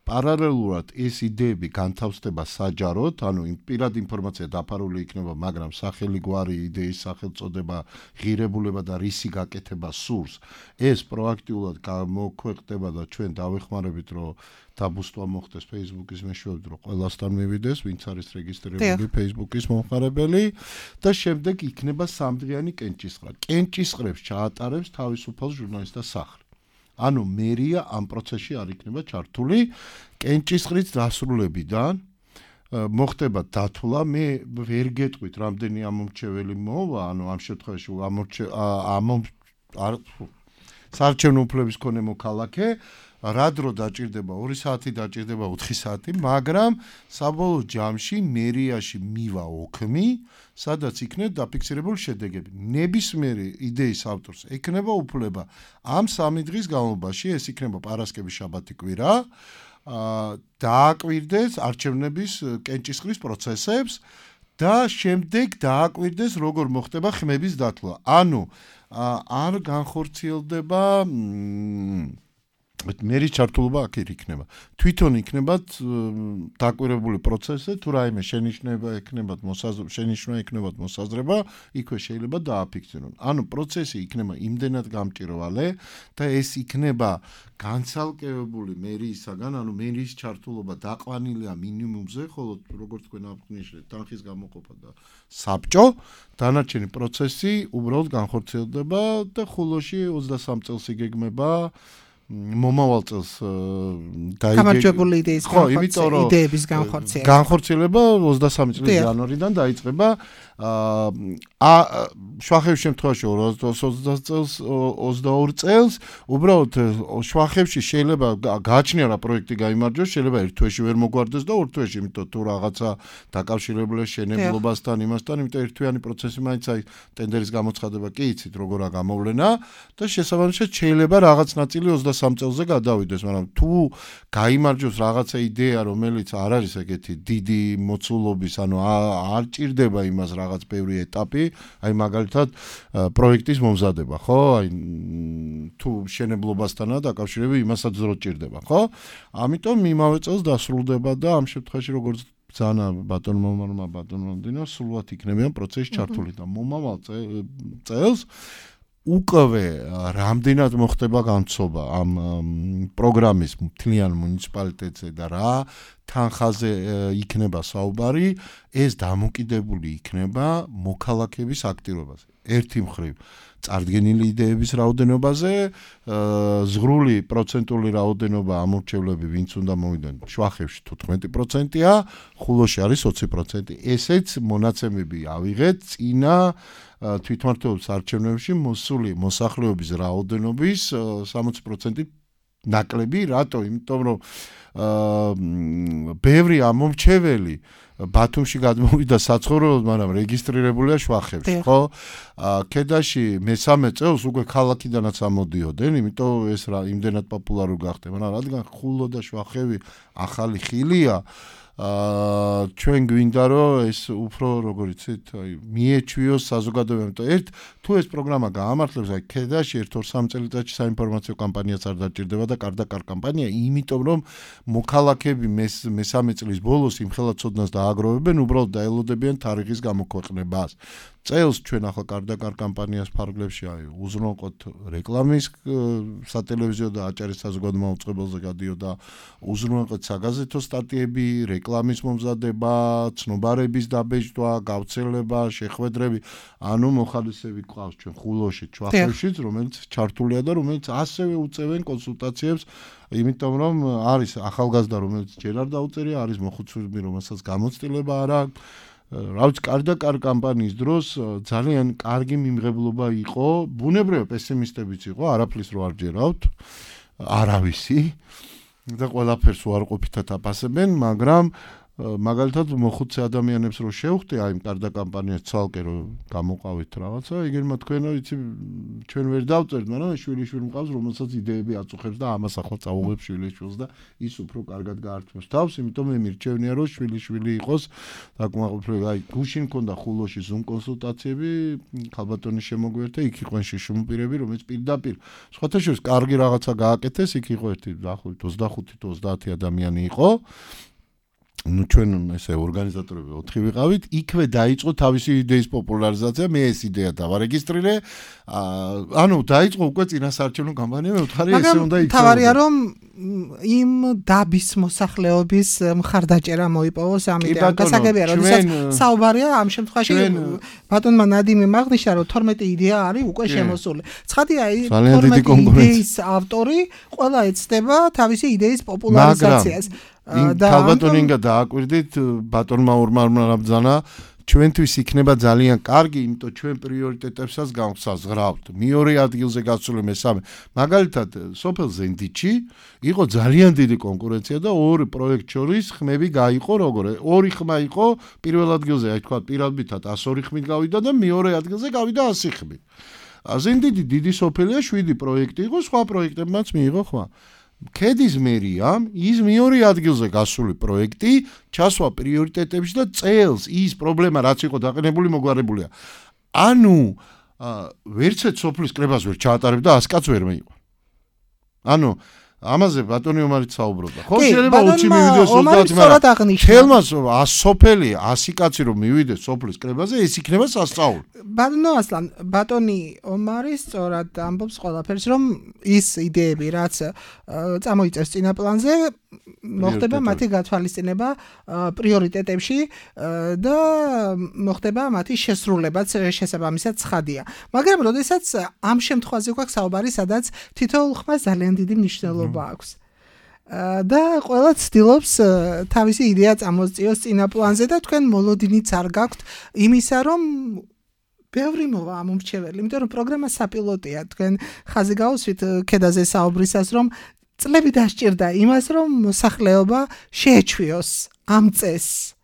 პარალელურად ეს იდეები განთავსდება საჯაროდ, ანუ პირადი ინფორმაცია დაფარული იქნება, მაგრამ სახელი გვარი, იდეის სახელწოდება, ღირებულება და რისი გაკეთება სურს, ეს პროაქტიულად გამოქვეყნდება და ჩვენ დავეხმარებით, რომ დაბუსტვა მოხდეს Facebook-ის მეშვეობით, რომ ყველასთან მივიდეს, ვინც არის რეგისტრირებული Facebook-ის მომხმარებელი და შემდეგ იქნება სამდღიანი კენჭისყრა. კენჭისყრებს ჩაატარებს თავისუფალ ჟურნალისტთა სახლი. ანუ მერია ამ პროცესში არ იქნება ჩართული, კენჭისყრის დასრულებიდან მოხდება დათვლა, მე ვერ გეტყვით რამდენი ამომრჩეველი მოვა, ანუ ამ შემთხვევაში ამომრჩეველი საარჩევნო უფლების მქონე მოქალაქე, რა დრო დაჭირდება, ორი საათი დაჭირდება, ოთხი საათი, მაგრამ საბოლოო ჯამში მერიაში მივა ოქმი, სადაც იქნება დაფიქსირებული შედეგები. ნებისმიერი იდეის ავტორს ექნება უფლება ამ სამი დღის განმავლობაში, ეს იქნება პარასკევი, შაბათი, კვირა, დააკვირდეს არჩევნების კენჭისყრის პროცესებს და შემდეგ დააკვირდეს, როგორ მოხდება ხმების დათვლა. ანუ არ განხორციელდება მერის ჩართულობა აქ იქნება. თვითონ იქნებათ დაკვირვებული პროცესი, თუ რაიმე შენიშვნება ექნებათ მოსაზრება, შენიშვნა ექნებათ მოსაზრება, იქვე შეიძლება დააფიქსირონ. ანუ პროცესი იქნება იმდენად გამჭირვალე და ეს იქნება განცალკევებული მერიისაგან, ანუ მერის ჩართულობა დაყვანილია მინიმუმზე, ხოლო როგორც თქვენ აღნიშნეთ, თანხის გამოყოფა და საბჭო, დანარჩენი პროცესი უბრალოდ განხორციელდება და ხულოში ოცდასამ წელს იგეგმება მომავალ წელს გამარჯვებული იდეის იდეების განხორციელება. განხორციელება ოცდასამი წლის იანვარიდან დაიწყება. ა შვახების შემთხვევაში ოცდაოთხ წელს ოცდაორი წელს უბრალოდ შვახებში შეიძლება გააჩნია რა პროექტი გაიმარჯვოს, შეიძლება ერთ თვეში ვერ მოგვარდეს და ორ თვეში, იმიტომ თუ რაღაცა დაკავშირებულია შენებლობასთან, იმასთან, იმიტომ ერთთვიანი პროცესი მაინც აი ტენდერის გამოცხადება კი იცით როგორა გამოვლენა და შესაბამისად შეიძლება რაღაც ნაწილი ოცდასამ წელზე გადავიდეს, მაგრამ თუ გაიმარჯვოს რაღაცა იდეა, რომელიც არ არის ეგეთი დიდი მოცულობის, ანუ არ ჭირდება იმას რაღაც ბევრი ეტაპი, აი მაგალითად პროექტის მომზადება, ხო? აი თუ შენებლობასთანაა დაკავშირებული, იმასაც დრო ჭირდება, ხო? ამიტომ იმავე წელს დასრულდება და ამ შემთხვევაში როგორც ბრძანა ბატონმა მომარმა ბატონმა დინო სულად იქნებიან პროცესში ჩართული და მომავალ წელს უკვე რამდენად მოხდება განცობა ამ პროგრამის მთლიან მუნიციპალიტეტზე და რა თანხაზე იქნება საუბარი, ეს დამოკიდებული იქნება მოქალაქეების აქტივობაზე. ერთი მხრივ წარდგენილი იდეების რაოდენობაზე, ზღრული პროცენტული რაოდენობა ამორჩევლები ვინც უნდა მოვიდნენ შვახებში თოთხმეტი პროცენტია, ხულოში არის ოცი პროცენტი. ესეც მონაცემები ავიღეთ წინა თვითმმართველობის არჩევნებში მოსული მოსახლეობის რაოდენობის სამოცი პროცენტი ნაკლები, რატო? იმიტომ რომ ბევრი ამომრჩეველი ბათუმში გადმოვიდა საცხოვრებლად, მაგრამ რეგისტრირებულია შვახებში, ხო? ქედაში მესამე წელს უკვე ქალაქიდანაც ამოდიოდნენ, იმიტომ ეს რა იმდენად პოპულარული გახდა, მაგრამ რადგან ხულო და შვახები ახალი ხილია, აა ჩვენ გვინდა რომ ეს უფრო როგორ იცით, აი მიეჩვიოს საზოგადოებამ. ერთ თუ ეს პროგრამა გაამართლებს, აი ქედაში ერთ ორ სამ წელიწადში საინფორმაციო კამპანიაც არ დაჭირდება და კარდაკარ კამპანია, იმიტომ რომ მოქალაქეები მესამე წლის ბოლოს იმხელა ცოდნას დააგროვებენ, უბრალოდ დაელოდებიან თარიღის გამოქვეყნებას. წელს ჩვენ ახლა კარდაკარ კამპანიას ფარგლებში აი უზრუნველყოთ რეკლამის სატელევიზიო და აჭარის საზოგადო მაუწყებელზე გადიოდა, უზრუნველყოთ საგაზეთო სტატიები, რეკლამის მომზადება, ცნობარების დაბეჭდვა, გავრცელება, შეხვედრები, ანუ მოხალისეები გვყავს ჩვენ ხულოში, შვახებშიც, რომელიც ჩართულია და რომელიც ასევე უწევენ კონსულტაციებს, იმიტომ რომ არის ახალგაზრდა, რომელიც ჯერ არ დაუწერია, არის მოხუცები, რომელსაც გამოცდილება არ აქვს. რაც კარდაკარ კამპანიის დროს ძალიან კარგი მიმღებლობა იყო, ბუნებრივია პესიმისტებიც იყო, არაფრის რო არ ჯერავთ, არავისი და ყველაფერს უარყოფითად აფასებენ, მაგრამ მაგალითად მოხუცე ადამიანებს რო შევხვდე აი კარდა კამპანიას ცალკე რო გამოყავით რაღაცა, იგერმა თქვენო იცი ჩვენ ვერ დავწერთ, მაგრამ შვილიშვილი მყავს, რომელსაც იდეები აწუხებს და ამას ახლა წაუღებს შვილიშვილს და ის უფრო კარგად გაართმევს თავს, იმიტომ მე მირჩევნია რომ შვილიშვილი იყოს დაკმაყოფილებული. აი გუშინ მქონდა ხულოში ზუმ კონსულტაციები, ქალბატონის შემოგვერთა, იქ იყვნენ შიშუმპირები, რომელიც პირდაპირ სხვათა შორის კარგი რაღაცა გააკეთეს, იქ იყო ერთი დაახლოებით ოცდახუთი თუ ოცდაათი ადამიანი იყო. ну ჩვენ ესე ორგანიზატორები ოთხი ვიყავით, იქვე დაიწყო თავისი იდეის პოპულარიზაცია, მე ეს იდეა დავარეგისტრირე. ანუ დაიწყო უკვე წინასაარჩევნო კამპანია, მე ვთხარი ესე უნდა იქცეო. თავარია რომ იმ დაბის მოსახლეობის მხარდაჭერა მოიპოვოს ამ იდეამ. გასაგებია, როდესაც საუბარია ამ შემთხვევაში ბატონმა ნადიმი მაღნიშნა, რომ თორმეტი იდეა არის უკვე შემოსული. ცხადია, თორმეტი იდეის ავტორი ყველა ეცდება თავისი იდეის პოპულარიზაციას. ქალბატონინგა დააკვირდით, ბატონმა ორმარმა ბრძანა, ჩვენთვის იქნება ძალიან კარგი, იმიტომ ჩვენ პრიორიტეტებსაც გავსაზღვრავთ. მეორე ადგილზე გასული მესამე. მაგალითად, სოფელ ზენდიჩი იყო ძალიან დიდი კონკურენცია და ორი პროექტ შორის ხმები გაიყო როგორ? ორი ხმა იყო პირველ ადგილზე, აი თქვა პირადითად ას ორი ხმით გავიდა და მეორე ადგილზე გავიდა ასი ხმით. ზენდიჩი დიდი სოფელია, შვიდი პროექტი იყო, სხვა პროექტებმაც მიიღო ხმა. ქედის მერიამ ის მეორე ადგილზე გასული პროექტი ჩასვა პრიორიტეტებში და წელს ის პრობლემა რაც იყო დაყენებული მოგვარებულია. ანუ ვერცეთ სოფლის კრებას ვერ ჩაატარებ და ას კაც ვერ მეიყვა. ანუ ამაზე ბატონი ომარიც საუბრობდა. ხო შეიძლება ოცი მივიდეს ოცდაათი, მაგრამ ხელმას ას სოფელი, ასი კაცი რომ მივიდეს სოფლის კრებაზე, ეს იქნება სასწაული. ბატონო ასლან, ბატონი ომარი სწორად ამბობს ყველაფერს, რომ ის იდეები, რაც წამოიწევს წინა პლანზე, მოხდება მათი გათვალისწინება პრიორიტეტებში და მოხდება მათი შესრულებაც შესაბამისად ცხადია. მაგრამ როდესაც ამ შემთხვევაში გვაქვს საუბარი, სადაც თითოეულ ხმას ძალიან დიდი მნიშვნელობა აქვს. და ყველა ცდილობს თავისი იდეა წამოწიოს წინა პლანზე და თქვენ მოლოდინიც არ გაქვთ იმისა, რომ ბევრი მოვა ამ უმრჩეველი, იმიტომ რომ პროგრამა საპილოტია, თქვენ ხაზი გაუსვით ქედაზე საუბრისას, რომ წლები დასჭირდა იმას, რომ მოსახლეობა შეეჩვიოს ამ წესს.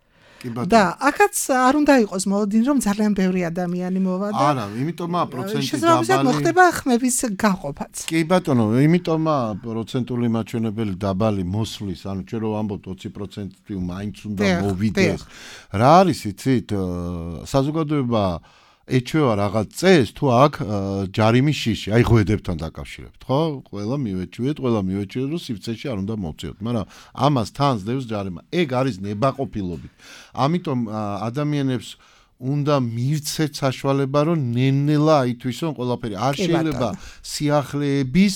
და აქაც არ უნდა იყოს მოლოდინი, რომ ძალიან ბევრი ადამიანი მოვა და არა, იმიტომაა პროცენტი დაბალი. მოხდება ხმების გაყოფაც. კი ბატონო, იმიტომაა პროცენტული მაჩვენებელი დაბალი მოსვლის, ანუ ჩვენ რო ვამბობთ ოცი პროცენტი მაინც უნდა მოვიდეს. რა არის იცით? საზოგადოება ეჩვევა რაღაც წეს, თუ აქ ჯარიმის შიში, აი ღვედებთან დაკავშირებთ, ხო? ყველა მივეჩვიეთ, ყველა მივეჩვიეთ, რომ სივრცეში არ უნდა მოვწიოთ, მაგრამ ამას თან ზდევს ჯარიმა. ეგ არის ნებაყოფილობით. ამიტომ ადამიანებს უნდა მივცეთ საშუალება, რომ ნელ-ნელა აითვისონ ყველაფერი. არ შეიძლება სიახლეების,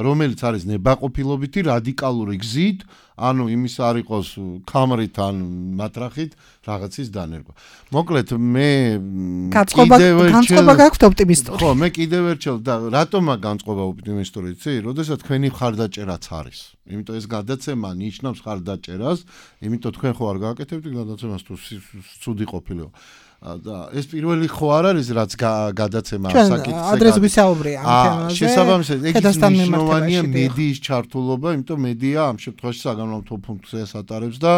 რომელიც არის ნებაყოფილობითი რადიკალური გზით, ანუ იმის არ იყოს ქამრით ან მატრახით რაღაცის დანერგვა. მოკლედ მე განწყობა გაქვთ ოპტიმისტური. ხო, მე კიდევ ერთხელ და რატომა განწყობა ოპტიმისტური, იცი? როდესაც თქვენი მხარდაჭერაც არის. იმიტომ ეს გადაცემა ნიშნავს მხარდაჭერას, იმიტომ თქვენ ხო არ გააკეთებთ გადაცემას თუ ცუდი ყოფილიყო. და ეს პირველი ხო არ არის რაც გადაცემა საკითხზე. ადრეს ვისაუბრია ამ თემაზე. შესაბამისად, ეგ მნიშვნელოვანია მედიის ჩართულობა, იმიტომ მედია ამ შემთხვევაში საგანმანათლებლო ფუნქციას ატარებს და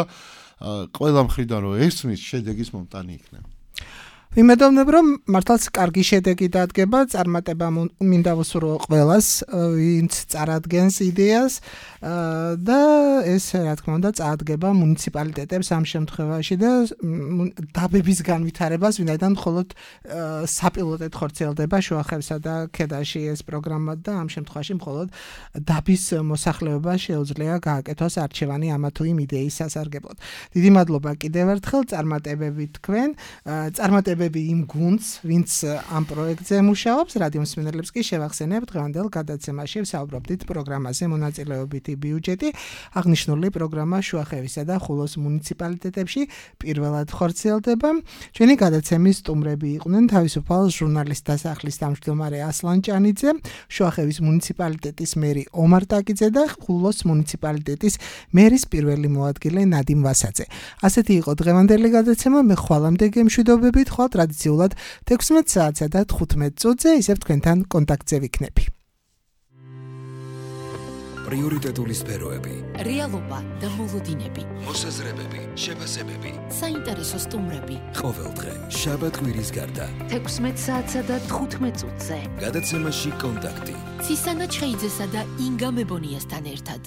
ყველა მხრიდან რო ესმის, შედეგის მომტანი იქნება. ვიმედოვნებ, რომ მართლაც კარგი შედეგი დადგება, წარმატება მინდა ვუსურვო ყველას, ვინც წარადგენს იდეას და ეს რა თქმა უნდა წაადგება მუნიციპალიტეტებს ამ შემთხვევაში და დაბების განვითარებას, ვინაიდან მხოლოდ საპილოტეთ ხორციელდება შუახევსა და ქედაში ეს პროგრამა და ამ შემთხვევაში მხოლოდ დაბის მოსახლეობა შეუძლია გააკეთოს არჩევანი ამა თუ იმ იდეის სასარგებლოდ. დიდი მადლობა კიდევ ერთხელ წარმატებები თქვენ, წარმატებები იმ გუნდს, ვინც ამ პროექტზე მუშაობს, რადიო მსმენელებს კი შევახსენებ დღევანდელ გადაცემაში ვსაუბრობდით პროგრამაზე მონაწილეობითი ბიუჯეტი, აღნიშნული პროგრამა შუახევისა და ხულოს მუნიციპალიტეტებში პირველად ხორციელდება. ჩვენი გადაცემის სტუმრები იყვნენ თავისუფალ ჟურნალისტ დასახლის თავმჯდომარე ასლან ჭანიძე, შუახევის მუნიციპალიტეტის მერი ომარ ტაკიძე და ხულოს მუნიციპალიტეტის მერის პირველი მოადგილე ნადიმ ვასაძე. ასეთი იყო დღევანდელი გადაცემა, მე ხვალამდე გემშვიდობებით, ხვალ ტრადიციულად თექვსმეტ საათსა და თხუთმეტ წუთზე ისევ თქვენთან კონტაქტზე ვიქნები. პრიორიტეტული სფეროები, რეალობა და მოლოდინები, მოსაზრებები, შეფასებები, საინტერესო სტუმრები. ყოველდღე შაბათ-კვირის გარდა თექვსმეტ საათსა და თხუთმეტ წუთზე. გადაცემაში კონტაქტი. ცისანა ჩხეიძესა და ინგა მებონიასთან ერთად.